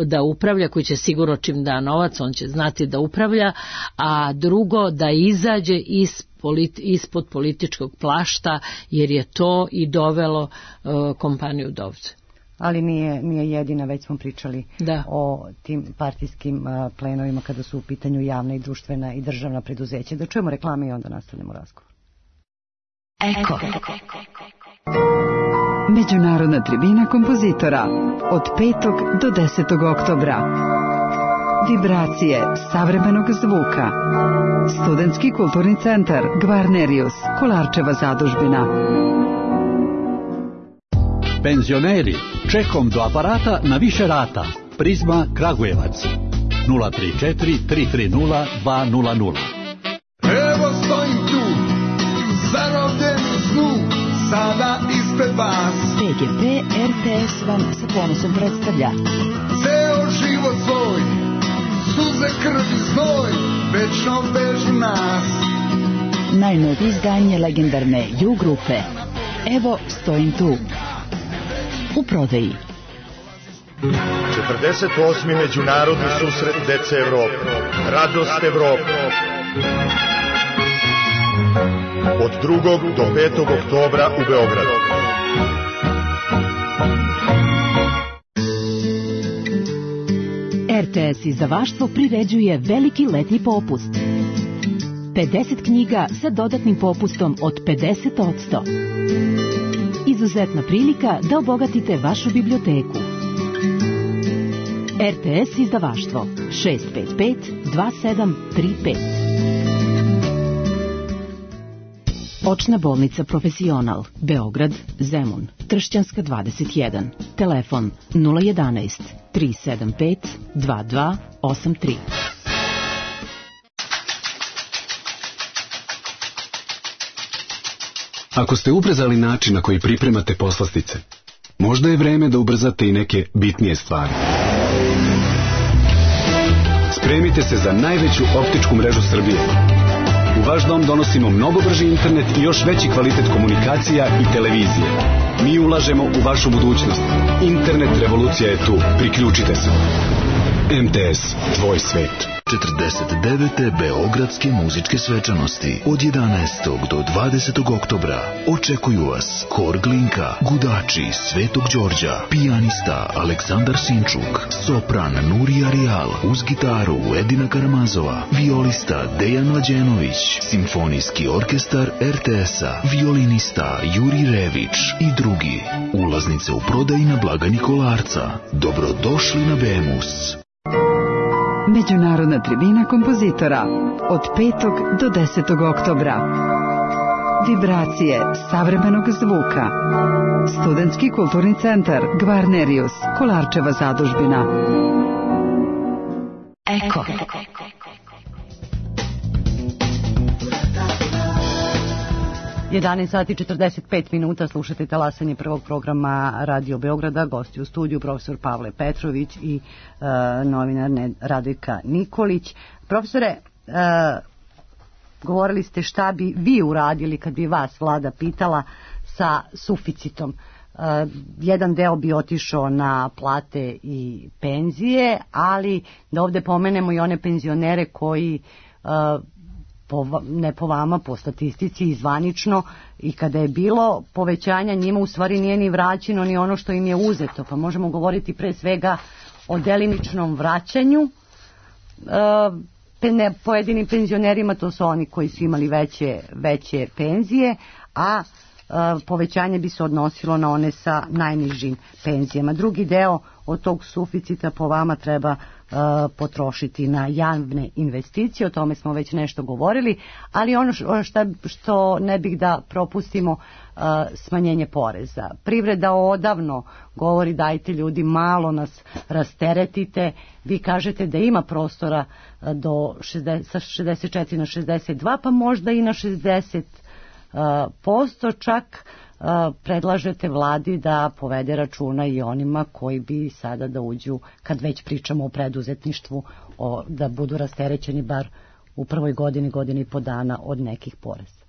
da upravlja, koji će sigurno čim da novac, on će znati da upravlja, a drugo da izađe ispod političkog plašta, jer je to i dovelo kompaniju dovde. Ali nije jedina, već smo pričali o tim partijskim plenovima kada su u pitanju javna i društvena i državna preduzeća. Da čujemo reklame i onda nastavljamo razgovor. Eko. Međunarodna tribina kompozitora od 5. do 10. oktobra. Vibracije savremenog zvuka. Studentski kulturni centar Gvarnerius, Kolarčeva zadužbina. Penzioneri, čekom do aparata na više rata. Prizma Kragujevac 034 330 200. Evo stojim tu, zarobljen u snu, sada ispred vas. PGP RTS vam sa ponosom predstavlja Ceo život svoj, suze, krv i znoj, večno vežu nas. najnovije izdanje legendarne Ju grupe. Evo stojim tu. U prodaji. 48. međunarodni susret dece Evrope. Radost Evrope. Od 2. do 5. oktobra u Beogradu. RTS izdavaštvo priređuje veliki letnji popust. 50 knjiga sa dodatnim popustom od 50%. Izuzetna prilika da obogatite vašu biblioteku. RTS izdavaštvo 655 2735. Očna bolnica Profesional, Beograd, Zemun, Tršćanska 21. Telefon 011 375 2283. Ako ste ubrzali način na koji pripremate poslastice, možda je vreme da ubrzate i neke bitnije stvari. Spremite se za najveću optičku mrežu Srbije. U vaš dom donosimo mnogo brži internet i još veći kvalitet komunikacija i televizije. Mi ulažemo u vašu budućnost. Internet revolucija je tu. Priključite se. MTS, tvoj svet. 49. Beogradske muzičke svečanosti od 11. do 20. oktobra očekuju vas Hor Glinka, Gudači Svetog Đorđa, pijanista Aleksandar Sinčuk, sopran Nurija Rijal, uz gitaru Edina Karamazova, violista Dejan Mlađenović, simfonijski orkestar RTS-a, violinista Juri Rević i drugi. Ulaznice u prodaji na blagajni Kolarca. Dobrodošli na Bemus. Međunarodna tribina kompozitora od 5. do 10. oktobra. Vibracije savremenog zvuka. Studentski kulturni centar Gvarnerius, Kolarčeva zadužbina. Eko. 11 sati 45 minuta, slušate talasanje prvog programa Radio Beograda, gosti u studiju profesor Pavle Petrović i novinar Radojka Nikolić. Profesore, govorili ste šta bi vi uradili kad bi vas vlada pitala sa suficitom. Jedan deo bi otišao na plate i penzije, ali da ovde pomenemo i one penzionere koji ne po vama, po statistici i zvanično, i kada je bilo povećanja njima u stvari nije ni vraćeno ni ono što im je uzeto, pa možemo govoriti pre svega o delimičnom vraćanju pojedinim penzionerima, to su oni koji su imali veće penzije, a povećanje bi se odnosilo na one sa najnižim penzijama. Drugi deo od tog suficita po vama treba potrošiti na javne investicije, o tome smo već nešto govorili, ali ono što ne bih da propustimo, smanjenje poreza. Privreda odavno govori dajte ljudi malo nas rasteretite, vi kažete da ima prostora sa 64 na 62, pa možda i na 60%, čak predlažete vladi da povede računa i onima koji bi sada da uđu, kad već pričamo o preduzetništvu, da budu rasterećeni bar u prvoj godini i po dana od nekih poreza.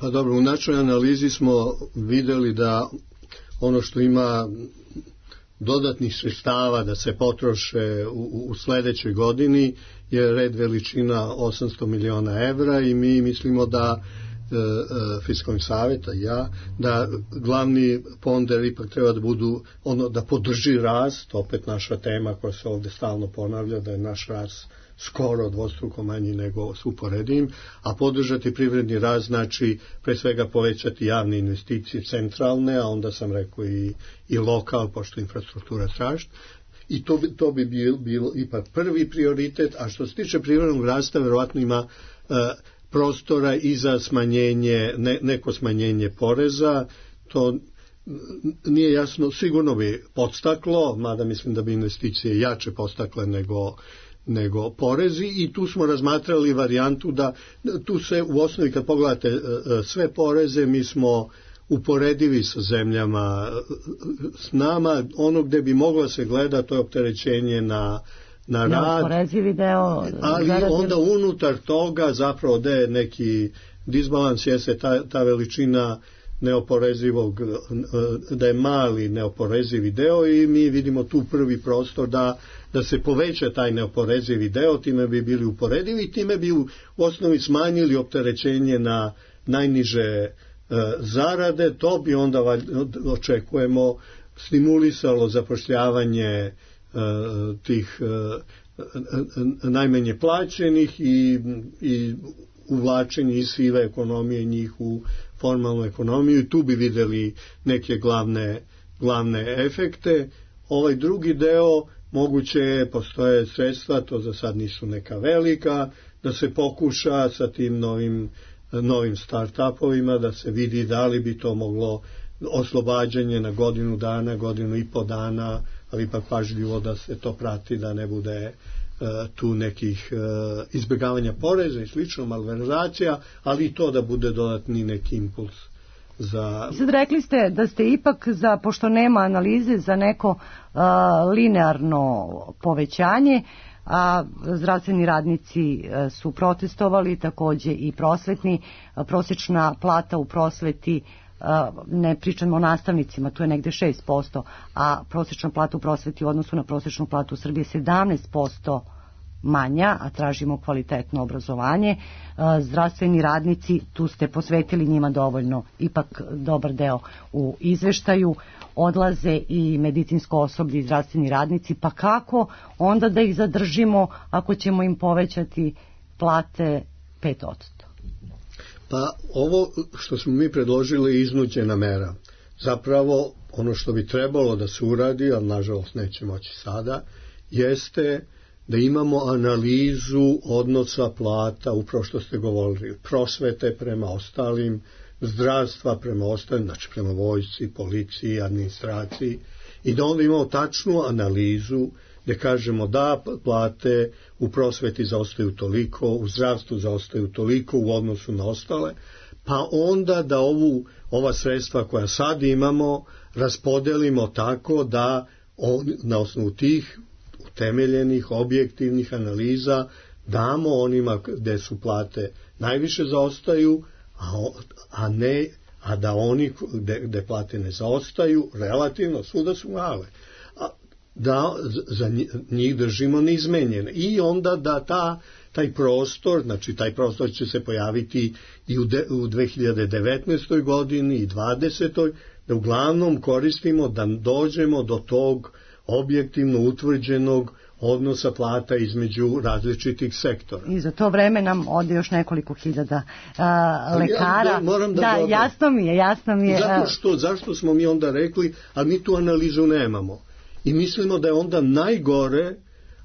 Pa dobro, u našoj analizi smo videli da ono što ima dodatnih sredstava da se potroše u sledećoj godini je red veličina 800 miliona evra i mi mislimo da Fiskalni savjet, da glavni ponder ipak treba da budu da podrži rast, opet naša tema koja se ovde stalno ponavlja, da je naš rast skoro dvostruko manji nego s uporedivim, a podržati privredni rast znači pre svega povećati javne investicije centralne, a onda sam rekao i lokal, pošto infrastruktura traži. I to bi bilo ipak prvi prioritet, a što se tiče privrednog rasta, verovatno ima prostora i za smanjenje, neko smanjenje poreza, to nije jasno, sigurno bi podstaklo, mada mislim da bi investicije jače podstakle nego porezi, i tu smo razmatrali varijantu da tu se u osnovi kad pogledate sve poreze mi smo uporedivi sa zemljama s nama, ono gde bi moglo se gleda to je opterećenje na rad, neoporezivi deo, ali onda unutar toga zapravo da je neki disbalans, jeste ta veličina neoporezivog, da je mali neoporezivi deo i mi vidimo tu prvi prostor da se poveća taj neoporezivi deo, time bi bili uporedivi i time bi u osnovi smanjili opterećenje na najniže zarade, to bi onda očekujemo stimulisalo zapošljavanje tih najmanje plaćenih i uvlačenje iz sive ekonomije njih u formalnu ekonomiju i tu bi videli neke glavne efekte. Ovaj drugi deo moguće postoje sredstva, to za sad nisu neka velika, da se pokuša sa tim novim start-upovima, da se vidi da li bi to moglo oslobađanje na godinu dana, godinu i po dana, ali ipak pažljivo da se to prati, da ne bude tu nekih izbjegavanja poreza i slično, malverzacija, ali i to da bude dodatni neki impuls. Sad rekli ste da ste ipak, pošto nema analize, za neko linearno povećanje, a zdravstveni radnici su protestovali, takođe i prosvetni. Prosječna plata u prosveti, ne pričamo o nastavnicima, tu je negde 6%, a prosječna plata u prosveti u odnosu na prosječnu platu u Srbiji je 17% manja, a tražimo kvalitetno obrazovanje. Zdravstveni radnici, tu ste posvetili njima dovoljno, ipak dobar deo u izveštaju, odlaze i medicinsko osoblje i zdravstveni radnici, pa kako onda da ih zadržimo ako ćemo im povećati plate 5%? Pa ovo što smo mi predložili je iznuđena mera. Zapravo ono što bi trebalo da se uradi, ali nažalost neće moći sada, jeste da imamo analizu odnosa plata, upravo što ste govorili, prosvete prema ostalim, zdravstva prema ostalim, znači prema vojsci, policiji, administraciji, i da onda imamo tačnu analizu gde kažemo da plate u prosveti zaostaju toliko, u zdravstvu zaostaju toliko u odnosu na ostale, pa onda da ova sredstva koja sad imamo raspodelimo tako da na osnovu tih utemeljenih, objektivnih analiza damo onima gde su plate najviše zaostaju, a da oni gde plate ne zaostaju, relativno svuda su male, da za njih držimo neizmenjene. I onda da taj prostor, znači taj prostor će se pojaviti i u 2019. godini i 2020. da uglavnom koristimo da dođemo do tog objektivno utvrđenog odnosa plata između različitih sektora. I za to vreme nam ode još nekoliko hiljada lekara. Jasno mi je. Zašto smo mi onda rekli, a mi tu analizu nemamo. I mislimo da je onda najgore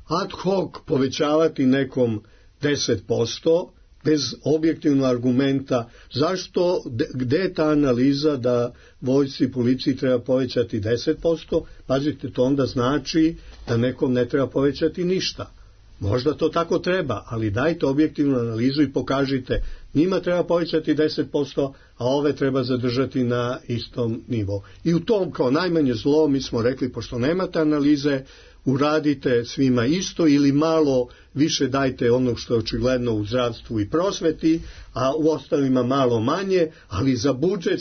ad hoc povećavati nekom 10% bez objektivnog argumenta. Zašto, gde je ta analiza da vojsci i policiji treba povećati 10%? Pazite, to onda znači da nekom ne treba povećati ništa. Možda to tako treba, ali dajte objektivnu analizu i pokažite, njima treba povećati 10%, a ove treba zadržati na istom nivou. I u tom kao najmanje zlo mi smo rekli, pošto nemate analize, uradite svima isto ili malo više dajte onog što je očigledno u zdravstvu i prosveti, a u ostalima malo manje, ali za budžet,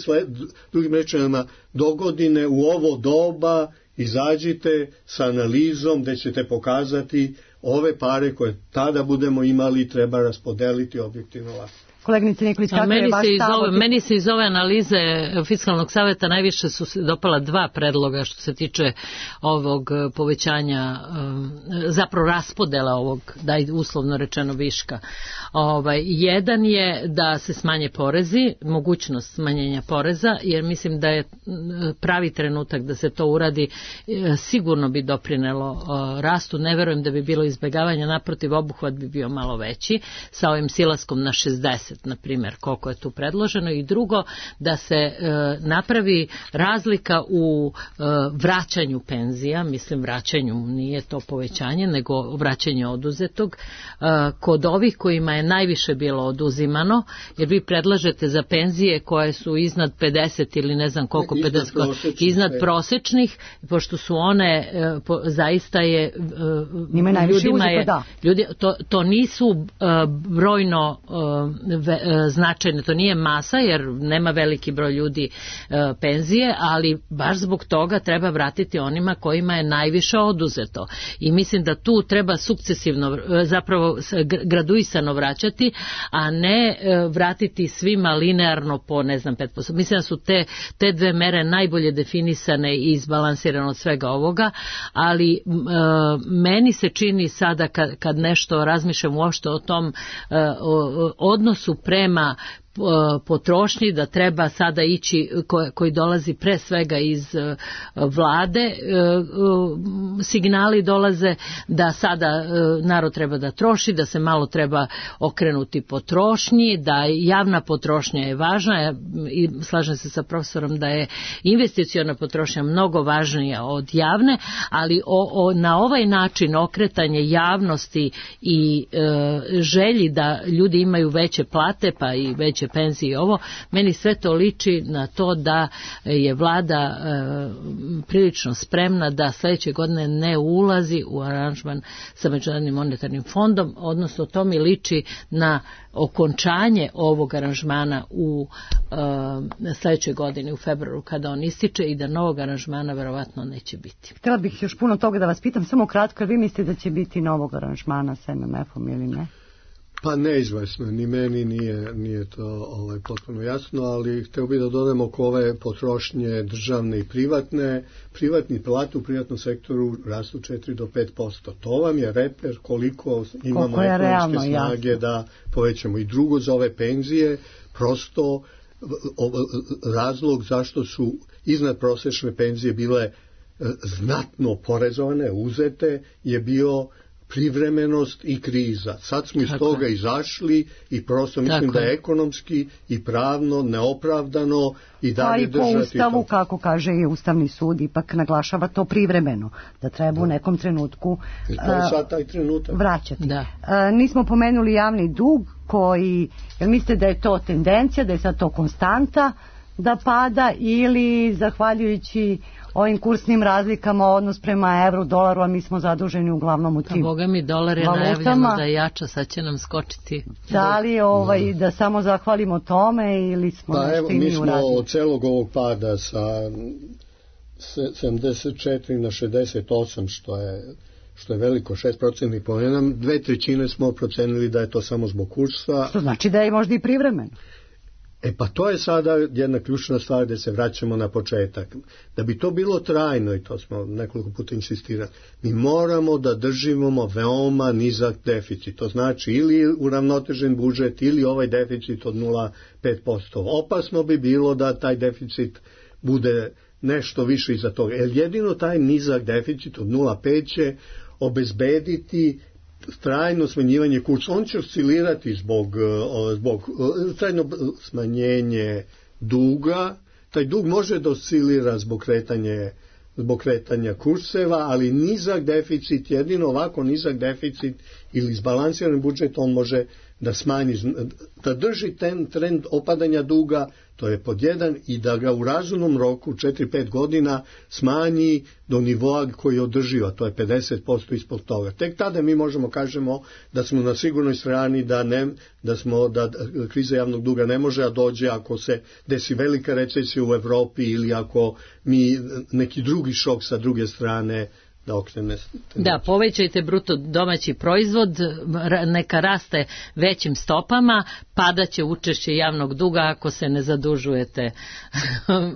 drugim rečima, dogodine u ovo doba izađite sa analizom gde ćete pokazati ove pare koje tada budemo imali treba raspodeliti objektivno lako. Koleginice Nikolić, kako je vaš stav? Meni se iz ove analize Fiskalnog saveta najviše su se dopala dva predloga što se tiče ovog povećanja, zapravo raspodela ovog, daj uslovno rečeno, viška. Jedan je da se smanje porezi, mogućnost smanjenja poreza, jer mislim da je pravi trenutak da se to uradi, sigurno bi doprinelo rastu, ne verujem da bi bilo izbegavanja, naprotiv obuhvat bi bio malo veći, sa ovim silaskom na 60. na primjer, koliko je tu predloženo. I drugo, da se napravi razlika u vraćanju penzija, mislim vraćanju, nije to povećanje, nego vraćanje oduzetog, kod ovih kojima je najviše bilo oduzimano, jer vi predlažete za penzije koje su iznad 50 ili ne znam koliko, 50, iznad prosečnih, pošto su one zaista je ljudima je, to nisu brojno značajne, to nije masa jer nema veliki broj ljudi penzije, ali baš zbog toga treba vratiti onima kojima je najviše oduzeto. I mislim da tu treba sukcesivno, zapravo graduisano vraćati, a ne vratiti svima linearno po, ne znam, 5%. Mislim da su te dve mere najbolje definisane i izbalansirane od svega ovoga, ali meni se čini sada kad nešto razmišljam uopšte o tom odnosu prema potrošnji, da treba sada ići, koji dolazi pre svega iz vlade, signali dolaze da sada narod treba da troši, da se malo treba okrenuti potrošnji, da javna potrošnja je važna i slažem se sa profesorom da je investiciona potrošnja mnogo važnija od javne, ali na ovaj način okretanje javnosti i želji da ljudi imaju veće plate pa i veće tiče penzije i ovo, meni sve to liči na to da je vlada prilično spremna da sledeće godine ne ulazi u aranžman sa Međunarodnim monetarnim fondom, odnosno to mi liči na okončanje ovog aranžmana u sledećoj godini u februaru kada on ističe i da novog aranžmana verovatno neće biti. Htjela bih još puno toga da vas pitam, samo kratko, vi mislite da će biti novog aranžmana sa MMF-om ili ne? Pa neizvesno, ni meni nije to potpuno jasno, ali hteo bih da dodam oko ove potrošnje državne i privatne. Privatni plate u privatnom sektoru rastu 4 do 5%. To vam je reper koliko imamo ekonomske snage jasno da povećamo. I drugo, za ove penzije, prosto razlog zašto su iznad prosečne penzije bile znatno porezovane, uzete, je bio privremenost i kriza. Sad smo iz toga izašli i prosto mislim da je ekonomski i pravno neopravdano i dalje držati to. Pa i po Ustavu, kako kaže i Ustavni sud, ipak naglašava to privremeno, da treba u nekom trenutku sad taj trenutak vraćati. Nismo pomenuli javni dug koji, jel mislite da je to tendencija, da je sad to konstanta da pada ili zahvaljujući ovim kursnim razlikama odnos prema evru, dolaru, a mi smo zaduženi uglavnom u tim valutama. Boga mi, dolar je najavljeno da je jača, sad će nam skočiti. Da li da samo zahvalimo tome ili smo nešto i mi uradili? Mi smo od celog ovog pada sa 74 na 68, što je veliko, 6% poena, 2/3 smo procenili da je to samo zbog kursa. Što znači da je možda i privremeno. Pa to je sada jedna ključna stvar gde se vraćamo na početak. Da bi to bilo trajno, i to smo nekoliko puta insistirali, mi moramo da držimo veoma nizak deficit. To znači ili uravnotežen budžet ili ovaj deficit od 0,5%. Opasno bi bilo da taj deficit bude nešto više iza toga. Jer jedino taj nizak deficit od 0,5 će obezbediti trajno smanjivanje kursa. On će oscilirati zbog trajno smanjenje duga. Taj dug može da oscilira zbog kretanja kurseva, ali nizak deficit, jedino ovako nizak deficit ili izbalansiran budžet, on može da smanji, da drži ten trend opadanja duga, to je pod jedan, i da ga u razumnom roku 4-5 godina smanji do nivoa koji je održiva, to je 50% ispod toga. Tek tada mi možemo kažemo da smo na sigurnoj strani, da kriza javnog duga ne može da dođe ako se desi velika recesija u Evropi ili ako mi neki drugi šok sa druge strane da okrene. Da, povećajte bruto domaći proizvod, neka raste većim stopama, padaće učešće javnog duga ako se ne zadužujete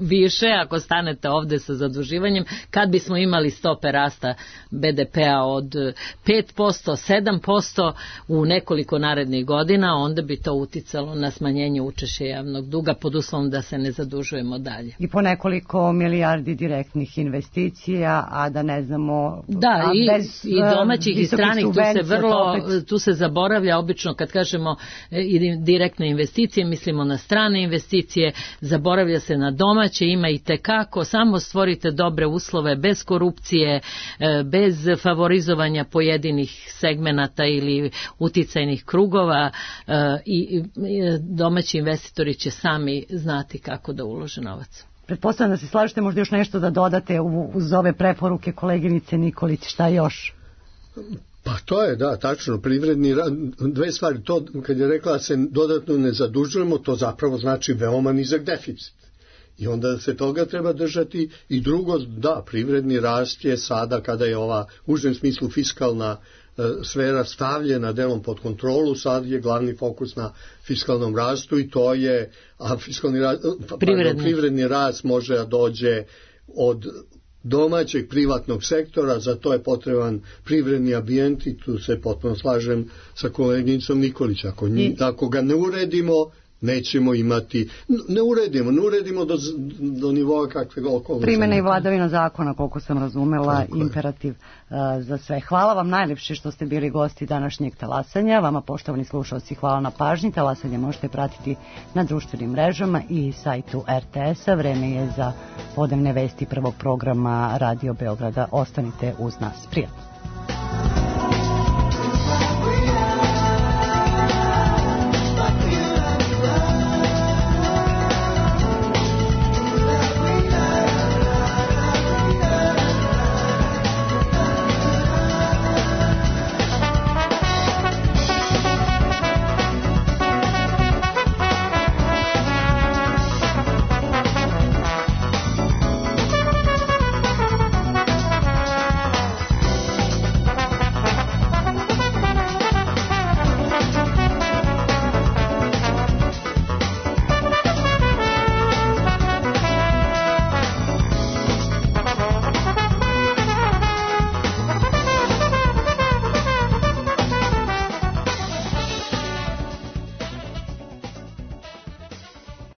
više, ako stanete ovde sa zaduživanjem. Kad bismo imali stope rasta BDP-a od 5%, 7% u nekoliko narednih godina, onda bi to uticalo na smanjenje učešća javnog duga pod uslovom da se ne zadužujemo dalje. I po nekoliko milijardi direktnih investicija, a da ne znamo. Da, i domaćih i stranih, tu se zaboravlja obično kad kažemo direktne investicije, mislimo na strane investicije, zaboravlja se na domaće, ima i tekako, samo stvorite dobre uslove bez korupcije, bez favorizovanja pojedinih segmenata ili uticajnih krugova i domaći investitori će sami znati kako da ulože novac. Pretpostavljam da se slažete, možda još nešto da dodate uz ove preporuke koleginice Nikolić, šta još? Pa to je, da, tačno, privredni rad, dve stvari, to kad je rekla da se dodatno ne zadužujemo, to zapravo znači veoma nizak deficit. I onda se toga treba držati. I drugo, da, privredni rast je sada, kada je ova u užem smislu fiskalna sfera stavljena delom pod kontrolu, sad je glavni fokus na fiskalnom rastu i to je, a privredni rast može da dođe od domaćeg privatnog sektora, za to je potreban privredni ambijent i tu se potpuno slažem sa koleginicom Nikolić. Ako ga ne uredimo, nećemo imati, ne uredimo do nivoa kakve okolnosti. Primjena i vladavina zakona, koliko sam razumela, imperativ za sve. Hvala vam najlepše što ste bili gosti današnjeg talasanja. Vama, poštovani slušalci, hvala na pažnji. Talasanje možete pratiti na društvenim mrežama i sajtu RTS-a. Vreme je za podnevne vesti prvog programa Radio Beograda. Ostanite uz nas. Prijatno.